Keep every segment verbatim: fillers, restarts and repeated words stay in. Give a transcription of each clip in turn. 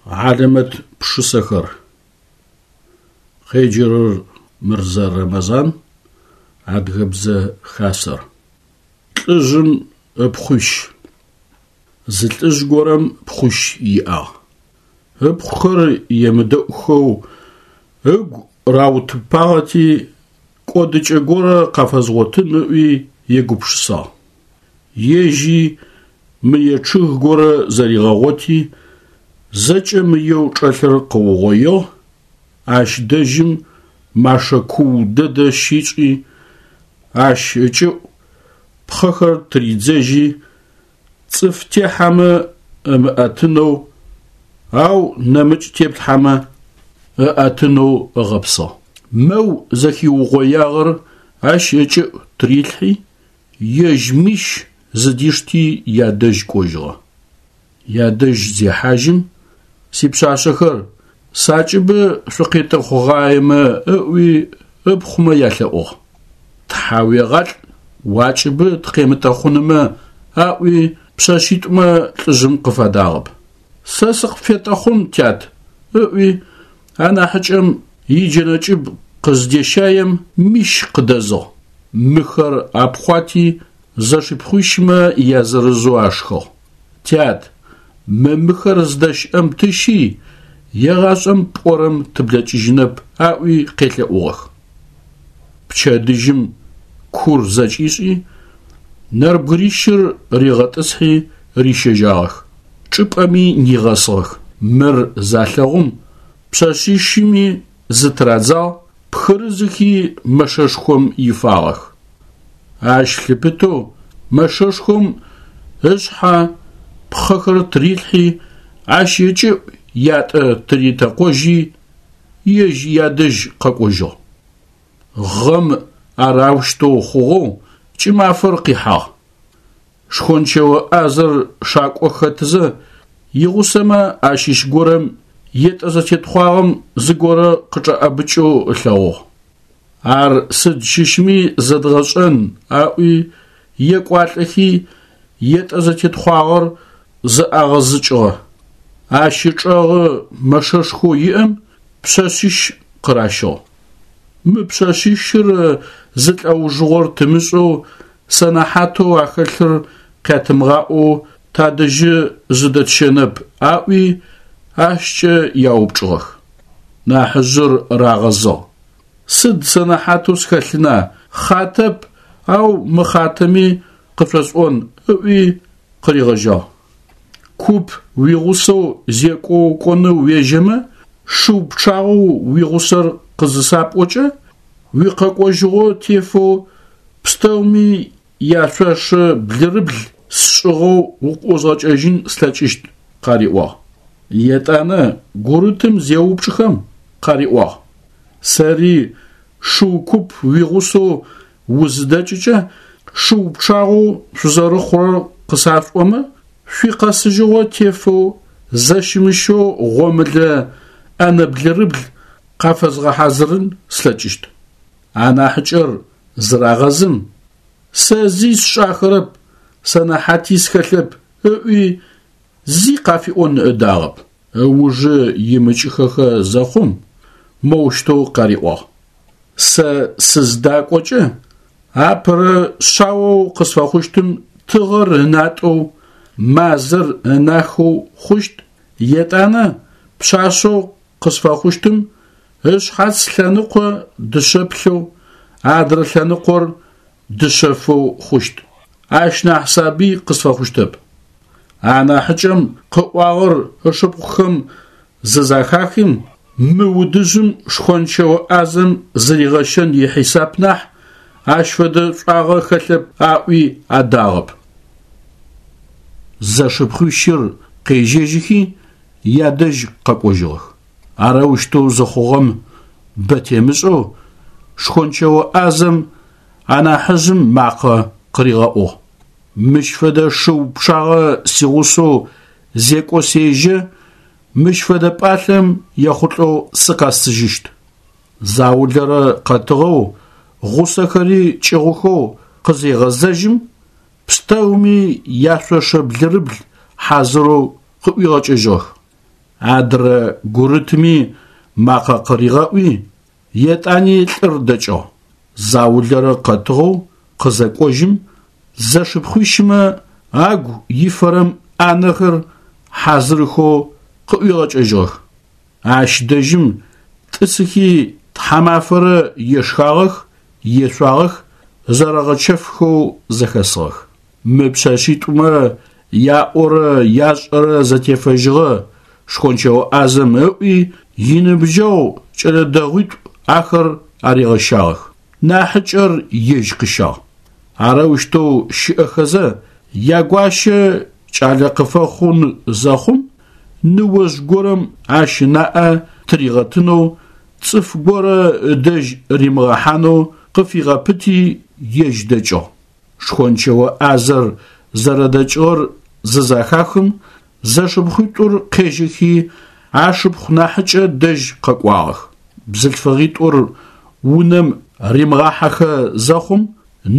Хьалэмэт пшысэхэр. Къеджэрэр Мырзэ Рэмэзан, Адыгэбзэ Хасэр. Лӏыжъым ыпхъуищ. Зы лӏыжъ горэм пхъуищ иӏагъ. Ыпхъухэр емыдэӏухэу ыгу раутыпагъэти кӏодыкӏэ горэ къафэзгъотын ыӏуи егупшысагъ. Ежьи мые чъыг горэ зэригъэгъоти, зэкӏэ мыеу чӏэлъыр къыугъоигъ, ащ дэжьым машэ куу дэдэ щишӏи, ащ ыкӏыӏу пхъэхэр тыридзэжьи, цӏыф техьэмэ ымыӏэтынэу, ау нэмыкӏ теплъхьэмэ ыӏэтынэу ыгъэпсыгъ. Мэу зэхиугъоягъэр ащ ыкӏыӏу тырилъхьи, ежь мищ зыдишти ядэжь кӏожьыгъэ. Ядэжь зехьажьым, сипшъашъэхэр сакӏыбы шъукъетӏэхъугъаемэ ыӏуи ыпхъумэ ялъэӏугъ. Тхьауегъалӏ, уакӏыбы тыкъемытӏэхъунымэ аӏуи пшъэшъитӏумэ лӏыжъым къыфадагъэп. Сэ сыкъыпфетӏэхъун, тят, ыӏуи анахьыкӏэм иджэнэ кӏыб къыздещаем мищ къыдэзыгъ. Мыхэр апхъуати зэшыпхъуищмэ язырызэу ашхыгъ. Тят, мы мыхэр зыдэщыӏэм тыщи, егъашӏэм пӏорэм тыблэкӏыжьынэп, аӏуи къелъэӏугъэх. Пчэдыжьым кур зэкӏишӏи, нэрбгырищыр ригъэтӏысхьи рищэжьагъэх. Чӏыпӏэми нигъэсыгъэх. Мыр залъэгъум пшъэшъищыми зытырадзагъ, пхырызыхи мэшэшхом ифагъэх. Ащ лъыпытэу мэшэшхом ышъхьэ пхъэхэр тырилъхьи, ащ ыкӏыӏу ятӏэ тыритэкъожьи, ежь ядэжь къэкӏожьыгъ. Гъэм ар аущтэу хъугъэу кӏымафэр къихьагъ. Шхончэо ӏазэр шакӏо хэтызэ, игъусэмэ ащыщ горэм етӏэ зэтетхъуагъэм зыгорэ къычӏэӏэбыкӏэу ылъэгъугъ. Ар сыд щыщми зэдгъэшӏэн аӏуи екӏуалӏэхи етӏэ зэтетхъуагъэр зэӏагъэзыкӏыгъэ. Ащ ычӏэгъы мэшэшхоу иӏэм пшъэшъищ къыращыгъ. Мы пшъэшъищыр зы лӏэужыгъор тымышӏэу сэнэхьатэу ахэлъыр къятымыгъаӏоу тадэжьы зыдэтщэнэп аӏуи ащкӏэ яупчӏыгъэх. Нахьыжъыр рагъэзыгъ. Сыд сэнэхьатэу схэлъына, хъатэп, ау мыхъатэми къышъосӏон ыӏуи къыригъэжьагъ. Куп уигъусэу зекӏоу кӏонэу уежьэмэ, шыу пчъагъэу уигъусэр къызысапӏокӏэ, уикъэкӏожьыгъо тефэу пстэуми яшъошэ блырыбл сшӏыгъэу укъыӏузгъэкӏэжьын слъэкӏыщт, къариӏуагъ. Етӏанэ гурытым зеупчӏхэм къариӏуагъ. Сэри шыу куп уигъусэу узыдэкӏыкӏэ, шыу пчъагъэу шъузэрыхъурэр къысашӏомэ, шъуикъэсыжьыгъо тефэу зэщымыщэу гъомылэ ӏэнэ блырыбл къафэзгъэхьазырын слъэкӏыщт. Анахьыкӏэр зырагъэзым, сэ зи сшӏахэрэп, сэнэхьати схэлъэп, ыӏуи зи къафиӏон ыдагъэп. Ыужы имыкӏыхэхэ зэхъум, моущтэу къариӏуагъ. Сэ сыздакӏокӏэ, апэрэ шъаоу къысфэхъущтым тыгъэр ынатӏэу, мазэр ынахэу хъущт, етӏанэ пшъашъэу къысфэхъущтым ышъхьац лъэныкъо дышъэплъэу, адрэ лъэныкъор дышъэфэу хъущт. Ащ нахь сабый къысфэхъущтэп. Анахьыкӏэм къыӏуагъэр ышыпхъухэм зызэхахым, мы удыжъым шхончэо ӏазэм зыригъэщэн ихьисап нахь, ащ фэдэ шӏуагъэ хэлъэп аӏуи адагъэп. Зэшыпхъуищыр къежьэжьыхи ядэжь къэкӏожьыгъэх. Арэущтэу зыхъугъэм бэ темышӏэу шхончэо ӏазэм анахьыжъым макъэ къыригъэӏугъ. Мыщ фэдэ шыу пчъагъэ сигъусэу зекӏо сежьэ, мыщ фэдэ пӏалъэм ехъулӏэу сыкъэсыжьыщт. Заулэрэ къэтыгъэу, гъусэхэри кӏыгъухэу къызегъэзэжьым, пстэуми яшъошэ блырыбл хьазырэу къыӏуигъэкӏыжьыгъэх. Адрэ гурытми макъэ къыригъэӀуи, етӀани лӀыр дэкӀыгъ. Заулэрэ къэтыгъэу къызэкӀожьым, зэшыпхъуищымэ агу ифэрэм Ӏанэхэр хьазырхэу къыӀуигъэкӀэжьыгъэх. Ащ дэжьым тӀысыхи тхьамафэрэ ешхагъэх, ешъуагъэх, зэрэгъэчэфхэу зэхэсыгъэх. Мы пшъэшъитӀумэ яӀорэ яшӀэрэ зэтефэжьыгъэ шхончэо Ӏазэм ыӀуи, иныбджэгъу кӀэлэ дэгъуитӀу ахэр аригъэщагъэх. НахьыкӀэр ежь къыщагъ. Арэущтэу щыӀэхэзэ ягуащэ кӀалэ къыфэхъун зэхъум, ныожъ горэм ащ ынаӀэ тыригъэтынэу, цӀыф горэ ыдэжь римыгъэхьанэу къыфигъэпыти, ежь дэкӀыгъ. Шхончэо Ӏазэр зэрэдэкӀыгъэр зызэхахым, зэшыпхъуитӀур къежьэхи, ашыпхъу нахьыкӀэ дэжь къэкӀуагъэх. БзылъфыгъитӀур унэм римыгъахьэхэ зэхъум,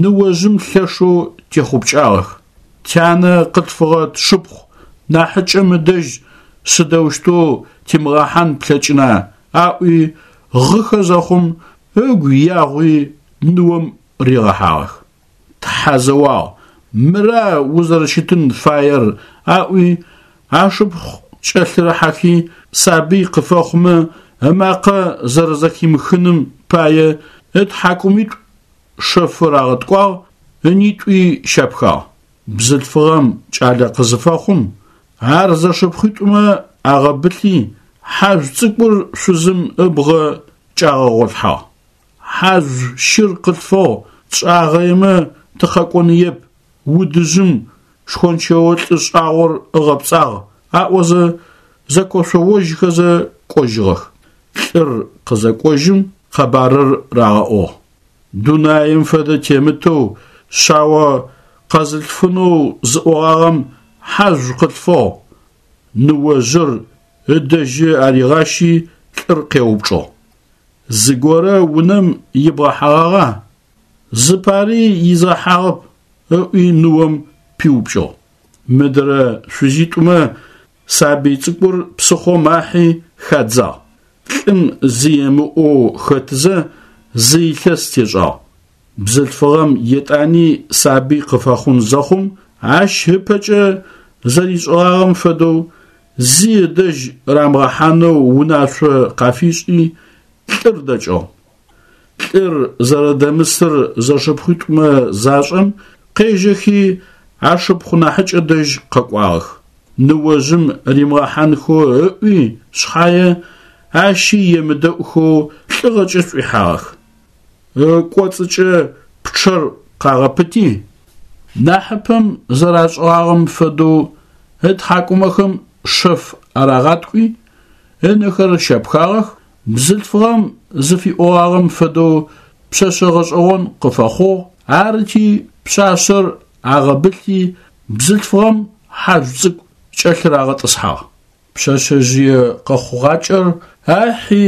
ныожъым лъэшэу техъупкӀагъэх. Тянэ къылъфыгъэ тшыпхъу нахьыкӀэм ыдэжь сыдэущтэу тимыгъэхьан плъэкӀына аӀуи гъыхэ зэхъум, ыгу ягъуи ныом ригъэхьагъэх. Тхьэ зэуагъ, мыра узэрэщытын фаер аӀуи, ашыпхъу кӀэлъырыхьэхи, сабый къыфэхъумэ ымакъэ зэрэзэхимыхыным пае ытхьакӀумитӀу шэф рагъэткӀуагъ, ынитӀуи щапхагъ. Бзылъфыгъэм кӀалэ къызыфэхъум, ар зэшыпхъуитӀумэ агъэбылъи, хьажъу цӀыкӀур шъузым ыбгъэ кӀагъэгъолъхьагъ. Хьажъу щыр къылъфыгъ, тшӀагъэемэ тыкъэкӀоныеп, удыжъым шхончэо лӀы шӀагъор ыгъэпцӀагъ аӀозэ зэкошъоожьхэзэ кӀожьыгъэх. ЛӀыр къызэкӀожьым къэбарыр рагъэӀугъ. Дунаим фэдэ темытэу шъао къэзылъфынэу зыӀогъагъэм хьажъу къылъфыгъ. Ныожъыр ыдэжьы аригъащи лӀыр къеупчӀыгъ. Зыгорэ унэм ибгъэхьэгъагъа? Зыпари изгъэхьагъэп, ыӀуи ныом пиупкӀыгъ. Мыдрэ шъузитӀумэ сабый цӀыкӀур псыхъом ахьи хадзагъ. ЛӀым зи ымыӀоу хэтызэ зы илъэс тешӀагъ. Бзылъфыгъэм етӀани сабый къыфэхъун зэхъум, ащ ыпэкӀэ зэришӀыгъагъэм фэдэу зи ыдэжь рамыгъэхьанэу унашъо къафишӀи, лӀыр дэкӀыгъ. ЛӀыр зэрэдэмысыр зэшыпхъуитӀумэ зашӀэм, къежьэхи ашыпхъу нахьыкӀэ дэжь къэкӀуагъэх. Ныожъым римыгъэхьанхэу ыӀуи шъхьае, ащи емыдэӀухэу лӀыгъэкӀэ шӀуихьагъэх. ЫкӀоцӀыкӀэ пчъэр къагъэпыти, нахьыпэм зэрашӀыгъагъэм фэдэу ытхьакӀумэхэм шэф арагъаткӀуи, ынэхэр щапхагъэх, бзылъфыгъэм зыфиӀогъагъэм фэдэу пшъэшъэ гъэшӀэгъон къыфэхъугъ, арыти пшъашъэр агъэбылъи, бзылъфыгъэм хьажъу цӀыкӀу кӀэлъырагъэтӀысхьагъ. Пшъэшъэжъые къэхъугъакӀэр ахьи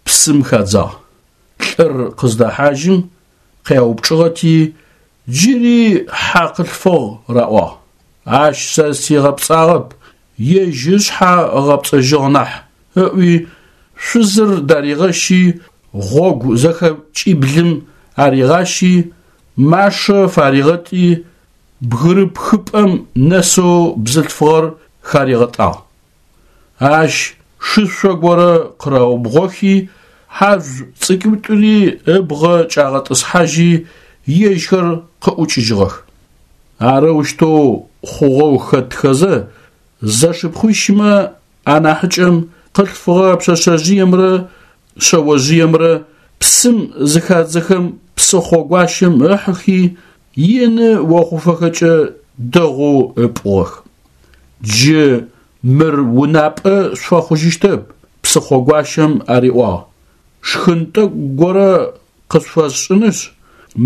псым хадзагъ. ЛӀыр къыздэхьажьым къяупчӀыгъэти, джыри хьэ къылъфыгъ раӀуагъ. Ащ сэ сигъэпцӀагъэп, ежь ышъхьэ ыгъэпцӀэжьыгъ нахь, ыӀуи шъузыр даригъэщи, гъогу зэхэкӀиблым аригъащи, машэ фаригъэтӀи, бгырыпхыпӀэм нэсэу бзылъфыгъэр харигъэтӀагъ. Ащ шышъо горэ къыраубгъохи, хьажъу цӀыкӀуитӀури ыбгъэ кӀагъэтӀысхьажьи, ежьхэр къыӀукӀыжьыгъэх. Арэущтэу хъугъэу хэтхэзэ, зэшыпхъуищымэ анахьыкӀэм къылъфыгъэ пшъэшъэжъыемрэ шъэожъыемрэ псым зыхадзэхэм псыхъо гуащэм ыхьыхи, ины охъуфэхэкӀэ дэгъоу ыпӀугъэх. Джы мыр унапӀэ шъуфэхъужьыщтэп, псыхъо гуащэм ариӀуагъ. Шхын тӀэкӀу горэ къышъуфэсшӀынышъ,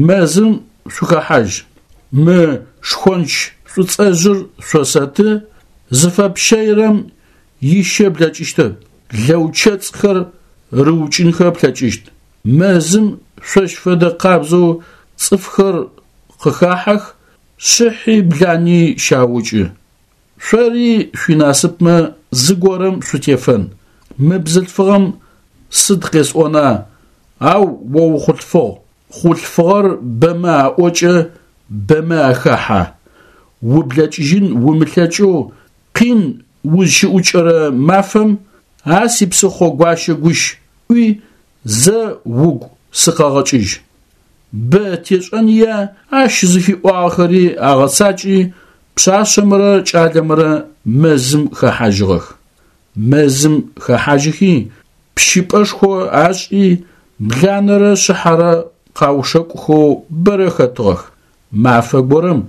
мэзым шъухэхьажь. Мы шхонч шӀуцӀэжъыр шъосэты, зыфэпщэирэм ищэ блэкӀыщтэп, лэучэцӀхэр рыукӀынхэ плъэкӀыщт. Мэзым шъощ фэдэ къабзэу цӀыфхэр къыхахьэх, шъыхьи блани щаукӀы. Шъори шъуинасыпмэ зыгорэм шъутефэн. Мы бзылъфыгъэм сыд къесӏона, ау о ухъулъфыгъ, хъулъфыгъэр бэмэ аӏокӏэ, бэмэ ахэхьэ. Ублэкӏыжьын умылъэкӏэу къин узщыӏукӏэрэ мафэм а сипсыхъо гуащэ гущ ӏуи зэ угу сыкъэгъэкӏыжь. Бэ тешӏэныя ащ зыфиӏуагъэхэри агъэцакӏи пшъашъэмрэ кӏалэмрэ мэзым хэхьажьыгъэх. Мэзым хэхьажьыхи пщыпӏэшхо ашӏи бланэрэ шъыхьэрэ къаушэкӏухэу бэрэ хэтыгъэх. Мафэ горэм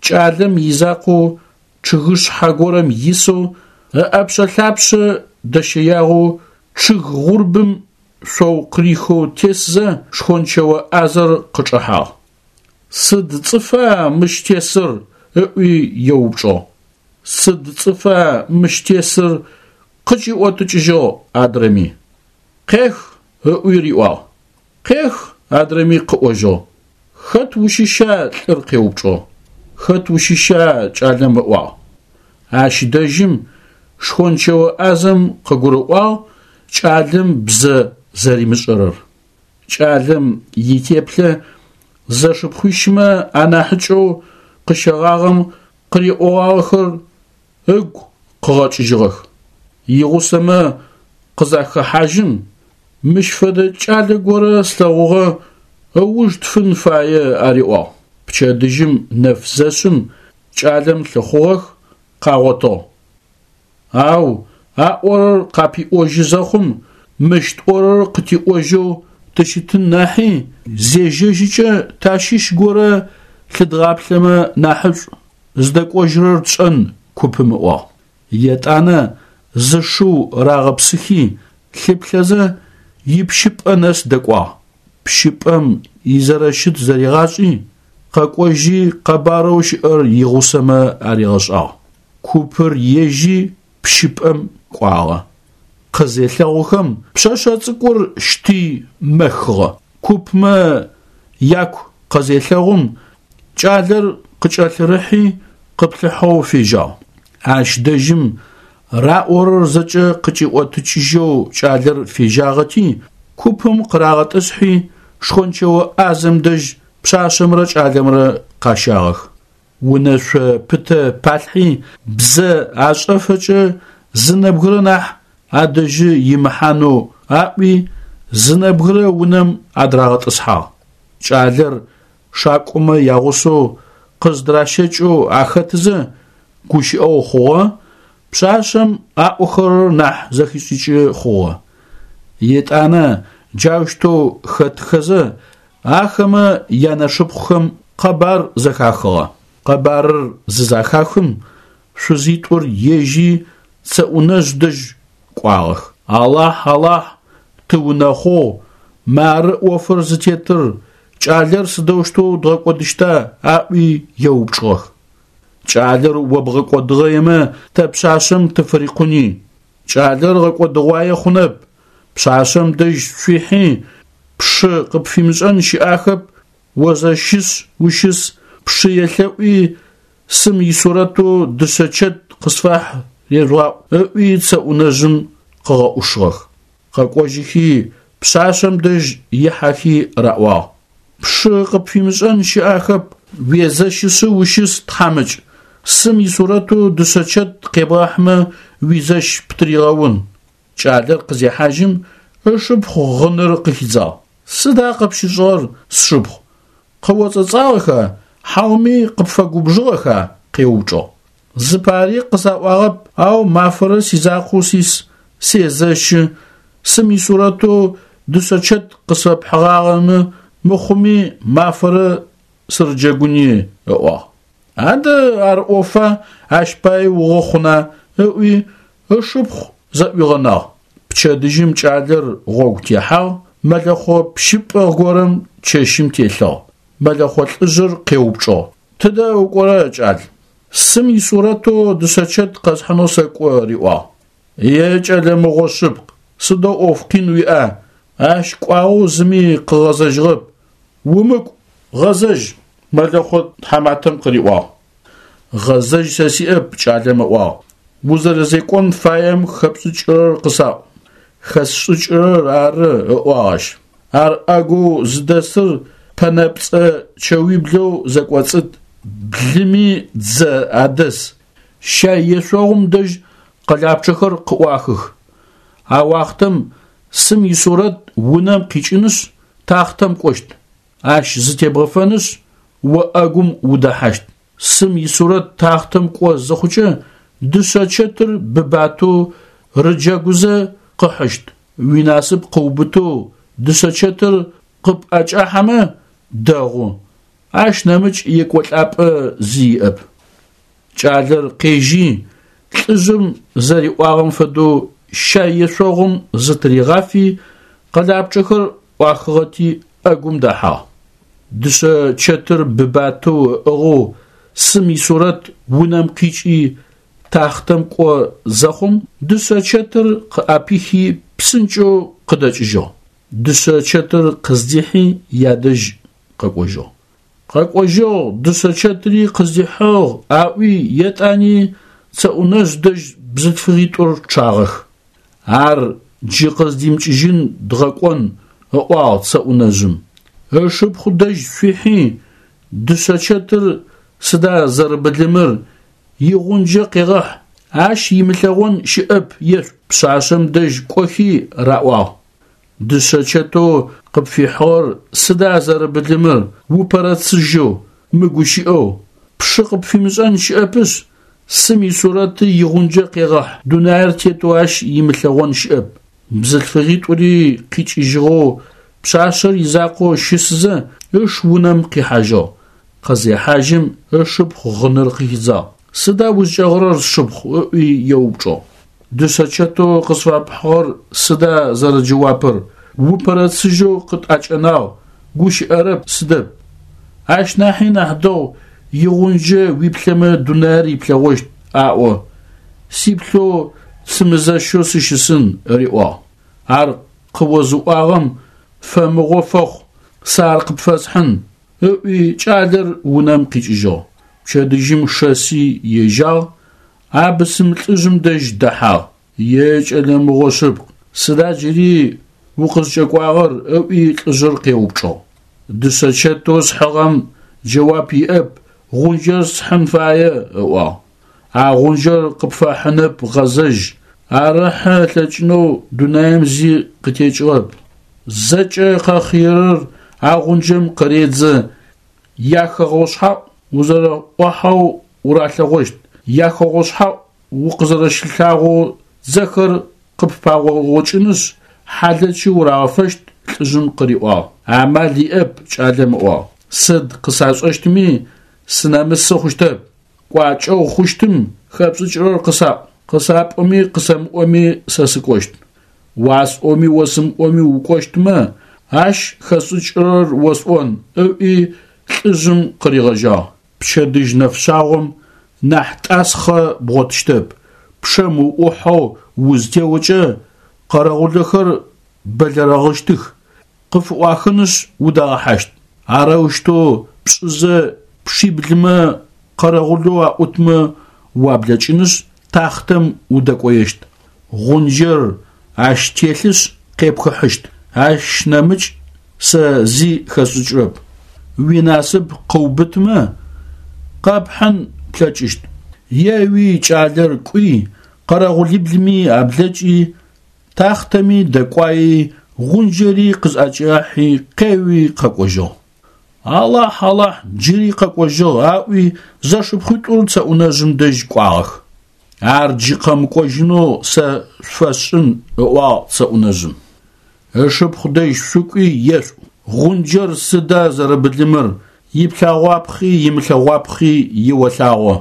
кӏалэм изакъоу чъыгышъхьэ горэм исэу ыӏэпшъэ-лъапшъэ дэщэягъэу чъыг гъурбым шъоу къырихэу тесзэ шхончэо ӏазэр къычӏэхьагъ. Сыд цӏыфа мыщ тесыр? Ыӏуи еупчӏыгъ. Сыд цӏыфа мыщ тесыр? Къыкӏиӏотыкӏыжьыгъ адрэми. Къех, ыӏуи риӏуагъ. Къех, адрэми къыӏожьыгъ. Хэт ущыща? Лӏыр къеупчӏыгъ. Хэт ущыща? Кӏалэм ыӏуагъ. Ащ дэжьым шхончэо ӏазэм къыгурыӏуагъ кӏалэм бзэ зэримышӏэрэр. Кӏалэм итеплъэ зэшыпхъуищмэ анахьыкӏэу къыщэгъагъэм къыриӏогъагъэхэр ыгу къыгъэкӏыжьыгъэх. Игъусэмэ къызахэхьажьым, мыщ фэдэ кӏалэ горэ слъэгъугъэ ыуж тфын фае ариӏуагъ. Пчэдыжьым нэф зэшъым кӏалэм лъыхъугъэх, къагъотыгъ. Ау аӏорэр къапиӏожьы зэхъум, мыщ тӏорэр къытиӏожьэу тыщытын нахьи зежьэжьыкӏэ тащыщ горэ лъыдгъаплъэмэ нахьышӏу, зыдэкӏожьырэр тшӏэн купым ыӏуагъ. Етӏанэ зы шыу рагъэпсыхи, лъыплъэзэ ипщыпӏэ нэс дэкӏуагъ. Пщыпӏэм изэрэщыт зэригъашӏи, къэкӏожьи къэбарэу щыӏэр игъусэмэ аригъэшӏагъ. Купыр ежьи пщыпӏэм кӏуагъэ. Къызелъэгъухэм пшъэшъэ цӏыкӏур щти мэхыгъэ. Купмэ яку къызелъэгъум кӏалэр къыкӏэлъырыхьи къыплъыхьэу фежьагъ. Ащ дэжьым раӏорэр зэкӏэ къыкӏиӏотыкӏыжьэу кӏалэр фежьагъэти, купым къырагъэтӏысхьи шхончэо ӏазэм дэжь пшъашъэмрэ кӏалэмрэ къащагъэх. Унэшъо пытэ палъхьи бзэ ашӏэфэкӏэ зы нэбгырэ нахь адэжьы имыхьанэу аӏуи зы нэбгырэ унэм адрагъэтӏысхьагъ. Кӏалэр шакӏомэ ягъусэу къыздращэкӏэу ахэтызэ гущыӏэу хъугъэ, пшъашъэм аӏохэрэр нахь зэхишӏыкӏы хъугъэ. Етӏанэ джаущтэу хэтхэзэ ахэмэ янэшыпхъухэм къэбар зэхахыгъэ. Къэбарыр зызэхахым шъузитӏур ежьи цэӏунэжъ дэжь кӏуагъэх. Алахь, Алахь, тыунэхъугъ, мары ӏофыр зытетыр, кӏалэр сыдэущтэу дгъэкӏодыщта? Аӏуи еупчӏыгъэх. Кӏалэр о бгъэкӏодыгъэемэ тэ пшъашъэм тыфырикъуни. Кӏалэр гъэкӏодыгъуае хъунэп, пшъашъэм дэжь шъуихьи, пшы къыпфимышӏэн щыӏахэп, о зэщыс ущыс, пшы елъэӏуи сым исурэтэу дышъэчэт къысфахь режъугъаӏу, ыӏуи цэӏунэжъым къыгъэӏушыгъэх. Къэкӏожьыхи пшъашъэм дэжь ихьэхи раӏуагъ. Пшы къыпфимышӏэн щыӏахэп, уезэщысы ущыс тхьамыкӏ, сым исурэтэу дышъэчэт къебгъахьмэ уизэщ птыригъэун. Кӏалэр къызехьажьым ышыпхъу гъыныр къыхидзагъ. Сыда къыпщышӏыгъэр, сшыпхъу? Къыоцӏэцӏагъэха, хьауми къыпфэгубжыгъэха? Къеупчӏыгъ. Зыпари къысаӏуагъэп, ау мафэрэ сизакъоу сис, сезэщы, сым исурэтэу дышъэчэт къысфэпхьыгъагъэмэ мыхъуми мафэрэ сырыджэгуни, ыӏуагъ. Адэ ар ӏофа, ащ пае угъэхъуна? Ыӏуи ышыпхъу зэӏуигъэнагъ. Пчэдыжьым кӏалэр гъогу техьагъ, мэлэхъо пщыпӏэ горэм чэщым телъыгъ. Мэлэхъо лӏыжъыр къеупчӏыгъ. Тыдэ укӏорэ, кӏал? Сым исурэтэу дышъэчэт къэсхьынэу сэкӏо, риӏуагъ. Е кӏэлэ мыгъо шъыпкъ, сыдэу ӏоф къин уиӏа? Ащ кӏуагъэу зыми къыгъэзэжьыгъэп. Умыкӏу, гъэзэжь, мэлэхъо тхьаматэм къыриӏуагъ. Гъэзэжь сэ сиӏэп, кӏалэм ыӏуагъ. Узэрэзекӏон фаем хэпшӏыкӏырэр къысаӏу. Хэсшӏыкӏырэр ары, ыӏуагъ ащ. Ар ӏэгоу зыдэсыр пэнэпцӏэ чэуиблэу зэкӏоцӏыт, блыми дзэ адэс. Щай ешъогъум дэжь къэлапчъэхэр къыӏуахых. А уахътэм сым исурэт унэм къикӏынышъ, тахътэм кӏощт. Ащ зытебгъэфэнышъ, о ӏэгум удэхьащт. Сым исурэт тахътэм кӏо зыхъукӏэ, дышъэ чэтыр быбатэу рыджэгузэ къыхьыщт. Уинасып къыубытэу дышъэ чэтыр къыпӏэкӏахьэмэ дэгъу. Ащ нэмыкӏ екӏолӏапӏэ зи иӏэп. Кӏалэр къежьи, лӏыжъым зэриӏуагъэм фэдэу щай ешъогъум зытыригъафи, къэлапчъэхэр ӏуахыгъэти ӏэгум дэхьагъ. Дышъэ чэтыр быбатэу ыӏыгъэу сым исурэт унэм къикӏи тахътэм кӏо зэхъум, дышъэ чэтыр къыӏэпихи псынкӏэу къыдэкӏыжьыгъ. Дышъэ чэтыр къыздихьи ядэжь къэкӏожьыгъ. Къэкӏожьыгъ, дышъэ чэтыри къыздихьыгъ, аӏуи етӏани цэӏунэжъ дэжь бзылъфыгъитӏур чъагъэх. Ар джы къыздимыкӏыжьын дгъэкӏон, ыӏуагъ цэӏунэжъым. Ышыпхъу дэжь шъуихьи, дышъэ чэтыр сыда зэрэбылымыр, игъунджэ къегъэхь, ащ имылъэгъон щыӏэп ешӏу. Пшъашъэм дэжь кӏохи раӏуагъ. Дышъэ чэтэу къыпфихьыгъэр сыда зэрэбылымыр, упэрэцыжьэу, мыгущыӏэу, пшы къыпфимышӏэн щыӏэпышъ, сым исурэты игъунджэ къегъэхь, дунаир тетэу ащ имылъэгъон щыӏэп. Бзылъфыгъитӏури къикӏыжьыгъэу пшъашъэр изакъоу щысызэ ыш унэм къихьажьыгъ. Къызехьажьым ышыпхъу гъыныр къыхидзагъ. Сыда узкӏэгъырэр, сшыпхъу? Ыӏуи еупчӏыгъ. Дышъэ чэтэу къысфэпхьыгъэр сыда зэрэджэуапыр? Упэрэцыжьэу къытӏэкӏэнагъ, гущыӏэрэп, сыдэп. Ащ нахьи нахь дэгъу игъунджэ уиплъэмэ дунаир иплъэгъощт, аӏо. Сиплъэу сымызэщэу сыщысын, ыриӏуагъ. Ар къыозыӏуагъэм фэмыгъо фэхъу, сэ ар къыпфэсхьын, ыӏуи кӏалэр унэм къикӏыжьыгъ. Пчэдыжьым шэси ежьагъ, а бысым лӏыжъым дэжь дэхьагъ. Е кӏэлэ мыгъо шъыпкъ, сыда джыри укъызкӏэкӏуагъэр? Ыӏуи лӏыжъыр къеупчӏыгъ. Дышъэ чэтэу схьыгъэм джэуап иӏэп, гъунджэр схьын фае, ыӏуагъ. А гъунджэр къыпфэхьынэп, гъэзэжь. Ар ыхьы ылъэкӏынэу дунаим зи къытекӏыгъэп. Зэкӏэ къэхъыерэр а гъунджэм къыредзэ, яхэгъэушъхьаӏу узэрэӏуахьэу уралъэгъощт, яхэгъэушъхьаӏу укъызэрэщылъагъоу дзэхэр къыппагъокӏынышъ, хьалэчы урагъэфэщт, лӏыжъым къыриӏуагъ. Амал иӏэп, кӏалэм ыӏуагъ. Сыд къысашӏэщтми сынэмысы хъущтэп. Кӏуачӏэу хъущтым хэпшӏыкӏырэр къысаӏу. Къысапӏоми къысэмыӏоми сэ сыкӏощт. Уасӏоми осымыӏоми укӏощтмэ, ащ хэсшӏыкӏырэр осӏон, ыӏуи лӏыжъым къыригъэжьагъ. Пчэдыжь нэфшъагъом нахь тӏасхъэ бгъотыщтэп. Пчъэм уӏухьэу узытеокӏэ къэрэгъулэхэр бэлэрэгъыщтых, къыфыӏуахынышъ удагъэхьащт. Арэущтэу пшӏызэ пшиблымэ къэрэгъулэу аӏутмэ уаблэкӏынышъ, тахътэм удэкӏоещт. Гъунджэр ащ телъышъ къепхыхьыщт. Ащ нэмыкӏ сэ зи хэсшӏыкӏырэп. Уинасып къыубытмэ, къэпхьын плъэкӏыщт. Еуи кӏалэр кӏуи, къэрэгъулиблыми аблэкӏи, тахътэми дэкӏуаи, гъунджэри къызӏэкӏахьи, къеуи къэкӏожьыгъ. Алахь, Алахь, джыри къэкӏожьыгъ, аӏуи зэшыпхъуитӏур цэӏунэжъым дэжь кӏуагъэх. Ар джы къэмыкӏожьынэу сэ шъуфэсшӏын, ыӏуагъ цэӏунэжъым. Ышыпхъу дэжь шъукӏуи ешӏу. Гъунджэр сыда зэрэбылымыр, иплъэгъуапхъи имылъэгъуапхъи еолъагъо.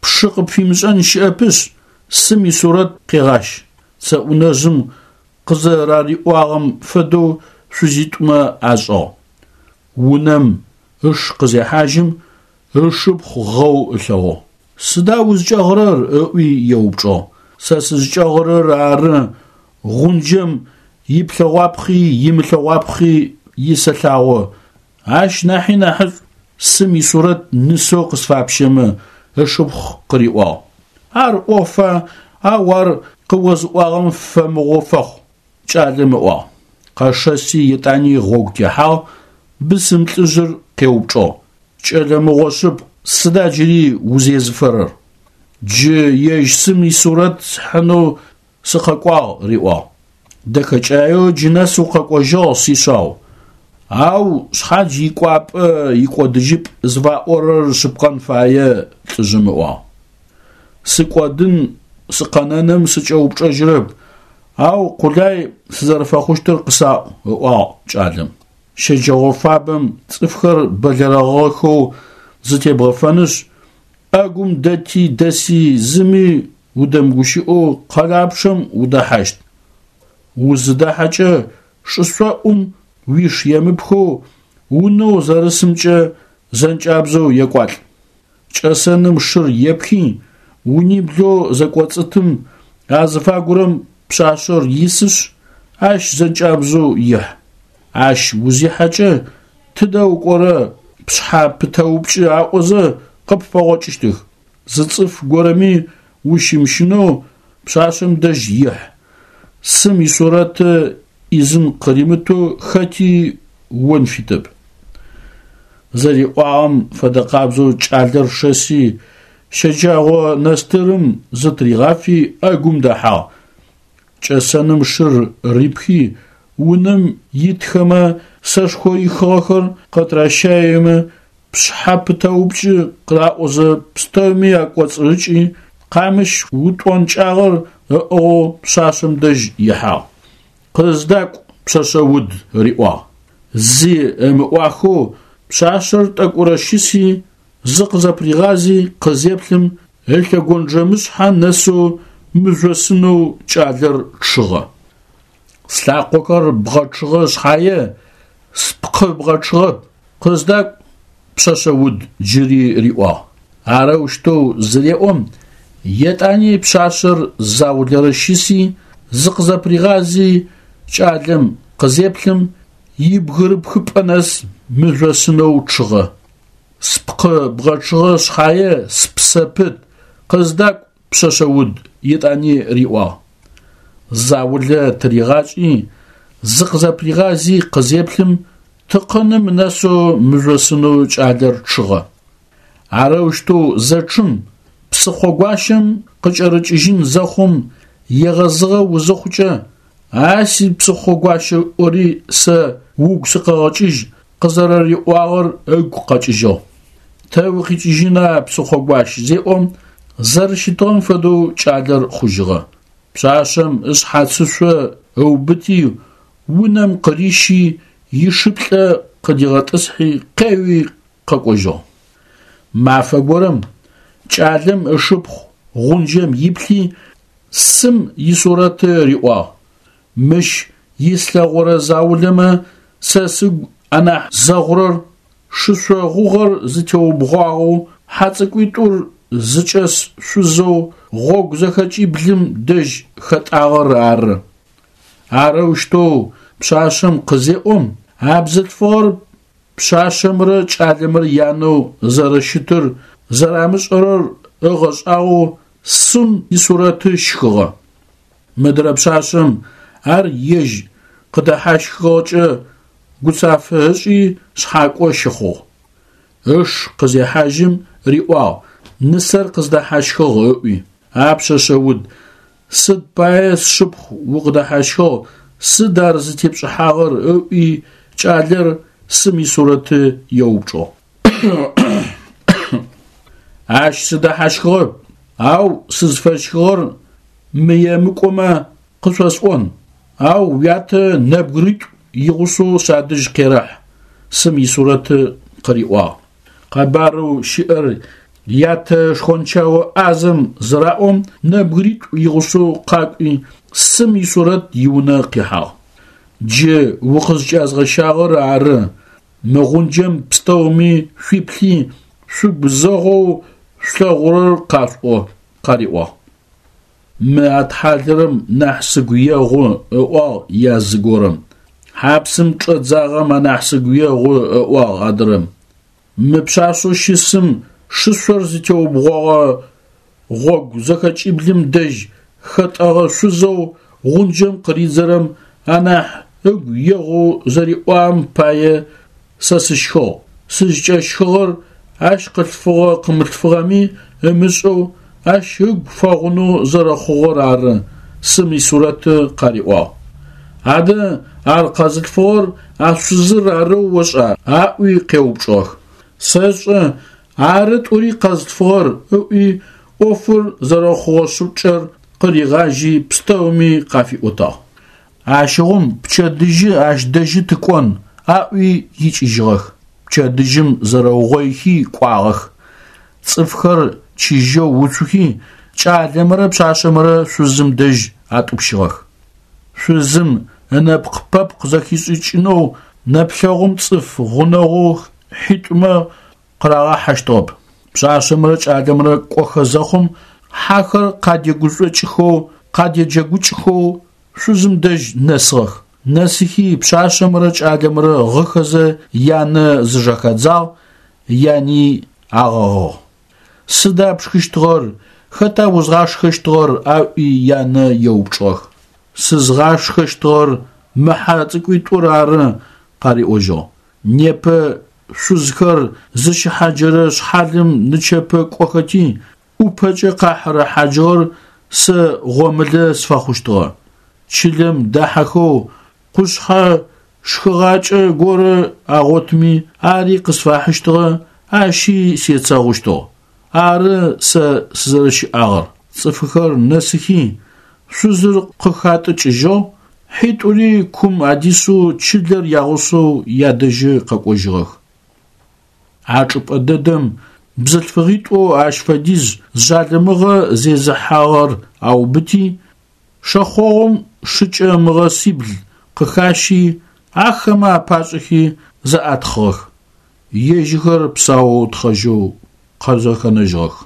Пшы къыпфимышӏэн щыӏэпышъ, сым исурэт къегъащ. Цэӏунэжъым къызэрариӏуагъэм фэдэу шъузитӏумэ ашӏыгъ. Унэм ыш къызехьажьым, ышыпхъу гъэу ылъэгъугъ. Сыда узкӏэгъырэр? Ыӏуи еупчӏыгъ. Сэ сызкӏэгъырэр ары гъунджэм иплъэгъуапхъи имылъэгъуапхъи исэлъагъо. Ащ нахьи нахьышӏу сым исурэт нысэу къысфапщэмэ, ышыпхъу къыриӏуагъ. Ар ӏофа, ау ар къыозыӏуагъэм фэмыгъо фэхъу, кӏалэм ыӏуагъ. Къэшэси етӏани гъогу техьагъ, бысым лӏыжъыр къеупчӏыгъ. Кӏэлэ мыгъо шъыпкъ, сыда джыри узезыфэрэр? Джы ежь сым исурэт схьынэу сыкъэкӏуагъ, риӏуагъ. Дэхэкӏаеу джы нэс укъэкӏожьыгъ, сишъау. Ау шъхьадж икӏуапӏэ икӏодыжьыпӏ зыфаӏорэр шъыпкъэн фае, лӏыжъым ыӏуагъ. Сыкӏодын сыкъэнэным сыкӏэупчӏэжьырэп, ау къулай сызэрэфэхъущтыр къысаӏу, ыӏуагъ кӏалэм. Щэджэгъо фабэм цӏыфхэр бэлэрэгъэхэу зытебгъэфэнышъ, ӏэгум дэти дэси зыми удэмыгущыӏэу къэлапчъэм удэхьащт. Узыдахьэкӏэ шышӏоӏум уиш емыпхэу унэу зэрысымкӏэ зэнкӏабзэу екӏуалӏ. Кӏэсэным шыр епхи, униблэу зэкӏоцӏытым азыфагурэм пшъашъэр исышъ, ащ зэнкӏабзэу ихь. Ащ узихьэкӏэ тыдэ укӏорэ пшъхьэ пытэупкӏы аӏозэ къыппэгъокӏыщтых. Зы цӏыф горэми ущымыщынэу пшъашъэм дэжь ихь. Сым исурэты ӏизын къыримытэу хэти он фитэп. Зэриӏуагъэм фэдэ къабзэу кӏалэр шэси, щэджагъо нэстырым зытыригъафи ӏэгум дэхьагъ. Кӏэсэным шыр рипхи, унэм итхэмэ сэшхо ихыгъэхэр къытыращаемэ, пшъхьэ пытэупкӏы къыраӏозэ пстэуми акӏоцӏырыкӏи, къамыщ утӏонкӏагъэр ыӏыгъэу пшъашъэм дэжь ихьагъ. Къыздакӏу, пшъэшъэ уд, риӏуагъ. Зи ымыӏуахэу пшъашъэр тӏэкӏурэ щыси, зыкъызэпыригъази къызеплъым, ылъэгонджэмышъхьэ нэсэу мыжъосынэу кӏалэр чъыгъэ. Слъакъохэр бгъэчъыгъэ шъхьае, спкъы бгъэчъыгъэп, къыздакӏу, пшъэшъэ уд, джыри риӏуагъ. Арэущтэу зыреӏом, етӏани пшъашъэр заулэрэ щыси, зыкъызэпыригъази кӏалэм къызеплъым, ибгырыпхыпӏэ нэс мыжъосынэу чъыгъэ. Спкъы бгъэчъыгъэ шъхьае, спсэ пыт, къыздакӏу, пшъэшъэ уд, етӏани риӏуагъ. Заулэ тыригъашӏи, зыкъызэпыригъази къызеплъым, тыкъыным нэсэу мыжъосынэу кӏалэр чъыгъэ. Арэущтэу зэчъым, псыхъо гуащэм къыкӏэрыкӏыжьын зэхъум егъэзыгъэ узыхъукӏэ, а си псыхъо гуащэ ӏори сэ угу сыкъэгъэкӏыжь къызэрэриӏуагъэр ыгу къэкӏыжьыгъ. Тэ укъикӏыжьына псыхъо гуащ зеӏом, зэрэщытыгъэм фэдэу кӏалэр хъужьыгъэ. Пшъашъэм ышъхьацышъо ыубыти, унэм къырищи, ишыплӏэ къыдигъэтӏысхьи, къеуи къэкӏожьыгъ. Мафэ горэм кӏалэм ышыпхъу гъунджэм иплъи, сым исурэты риӏуагъ. Мыщ ислъэгъорэ заулэмэ сэ сыгу анахь зэгъурэр шышъо гъугъэр зытеубгъуагъэу хьацӏыкӏуитӏур зыкӏэс шъузэу гъогу зэхэкӏиблым дэжь хэтӏагъэр ары. Арэущтэу пшъашъэм къызеӏом, а бзылъфыгъэр пшъашъэмрэ кӏалэмрэ янэу зэрэщытыр зэрамышӏэрэр ыгъэшӏагъоу сым исурэты щхыгъэ. Мыдрэ пшъашъэм ар ежь къыдэхьащхыгъэкӏэ гуцафэ ышӏи шъхьакӏо щыхъугъ. Ыш къызехьажьым риӏуагъ, нысэр къыздэхьащхыгъ ыӏуи. А пшъэшъэ уд, сыд пае сшыпхъу укъыдэхьащхыгъ, сыд ар зытепшӏыхьагъэр ыӏуи кӏалэр сым исурэты еупчӏыгъ. Ащ сыдэхьащхыгъэп, ау сызфэщхыгъэр мыемыкӏомэ къышъосӏон, ау уятэ нэбгыритӏу игъусэу садэжь къерэхь, сым исурэты къыриӏуагъ. Къэбарэу щыӏэр ятэ шхончао ӏазэм зыраӏом, нэбгыритӏу игъусэу къакӏуи, сым исурэт иунэ къихьагъ. Джы укъызкӏязгъэщагъэр ары, мы гъунджэм пстэуми шъуиплъи, шъугу зэгъоу шъулъэгъурэр къашъуӏо, къариӏуагъ. Мы атхьалэрэм нахь сыгу егъу, ыӏуагъ язы горэм. Хьапсым чӏэдзагъэм анахь сыгу егъу, ыӏуагъ адрэм. Мы пшъашъэу щысым Шышъор зытеубгъогъэ гъогу зэхэкӏиблым дэжь хэтӏэгъэ шъузэу гъунджэм къыридзэрэм анахь ыгу егъоу зэриӏуагъэм пае сэ сыщхыгъ. Сызкӏэщхыгъэр ащ къылъфыгъэ-къымылъфыгъэми ымышӏэу ащ ыгу фэгъунэу зэрэхъугъэр ары, сын исурэты къариӏуагъ. Адэ ар къэзылъфыгъэр а шъузыр арэу ошӏа? Аӏуи къеупчӏыгъэх. Сэшӏэ, ары тӏури къэзылъфыгъэр, ыӏуи ӏофыр зэрэхъугъэ шӏыкӏэр къыригъажьи пстэуми къафиӏотагъ. Ащыгъум пчэдыжьы ащ дэжьы тыкӏон, аӏуи икӏыжьыгъэх. Пчэдыжьым зэрэугъоихи кӏуагъэх. Цӏыфхэр чыжьэу уцухи, кӏалэмрэ пшъашъэмрэ шъузым дэжь атӏупщыгъэх. Шъузым ынэпкъ-пэпкъ зэхишӏыкӏынэу нэплъэгъум цӏыф гъунэгъу хьитӏумэ къырагъахьэщтыгъэп. Пшъашъэмрэ кӏалэмрэ кӏохэ зэхъум хьэхэр къадегушӏукӏхэу, къадеджэгукӏхэу шъузым дэжь нэсыгъэх. Нэсыхи пшъашъэмрэ кӏалэмрэ гъыхэзэ янэ зыжэхадзагъ, яни агъэгъыгъ. Сыда пшхыщтыгъэр, хэта узгъашхэщтыгъэр? Аӏуи янэ еупчӏыгъэх. Сызгъашхэщтыгъэр мы хьэ цӏыкӏуитӏур ары, къариӏожьыгъ. Непэ шъузхэр зыщыхьаджэрэ шъхьалым нычэпэ кӏохэти, ӏупэкӏэ къахьырэ хьаджыгъэр сэ гъомылэ сфэхъущтыгъэ. Чылэм дахьэхэу къушъхьэ шхыгъакӏэ горэ агъотми, ари къысфахьыщтыгъэ, ащи сецэгъущтыгъ. Ары сэ сызэрэщыӏагъэр. Цӏыфхэр нэсыхи, шъузыр къыхатӏыкӏыжьыгъ, хьитӏури кум адисэу чылэр ягъусэу ядэжьы къэкӏожьыгъэх. А чӏыпӏэ дэдэм бзылъфыгъитӏоу ащ фэдиз жъалымыгъэ зезыхьагъэр аубыти, шэхъогъум шыкӏэ мыгъэсибл къыхащи, ахэмэ апашӏыхи зэӏатхъыгъэх. Ежьыхэр псаоу тхъэжьэу къызэхэнэжьыгъэх.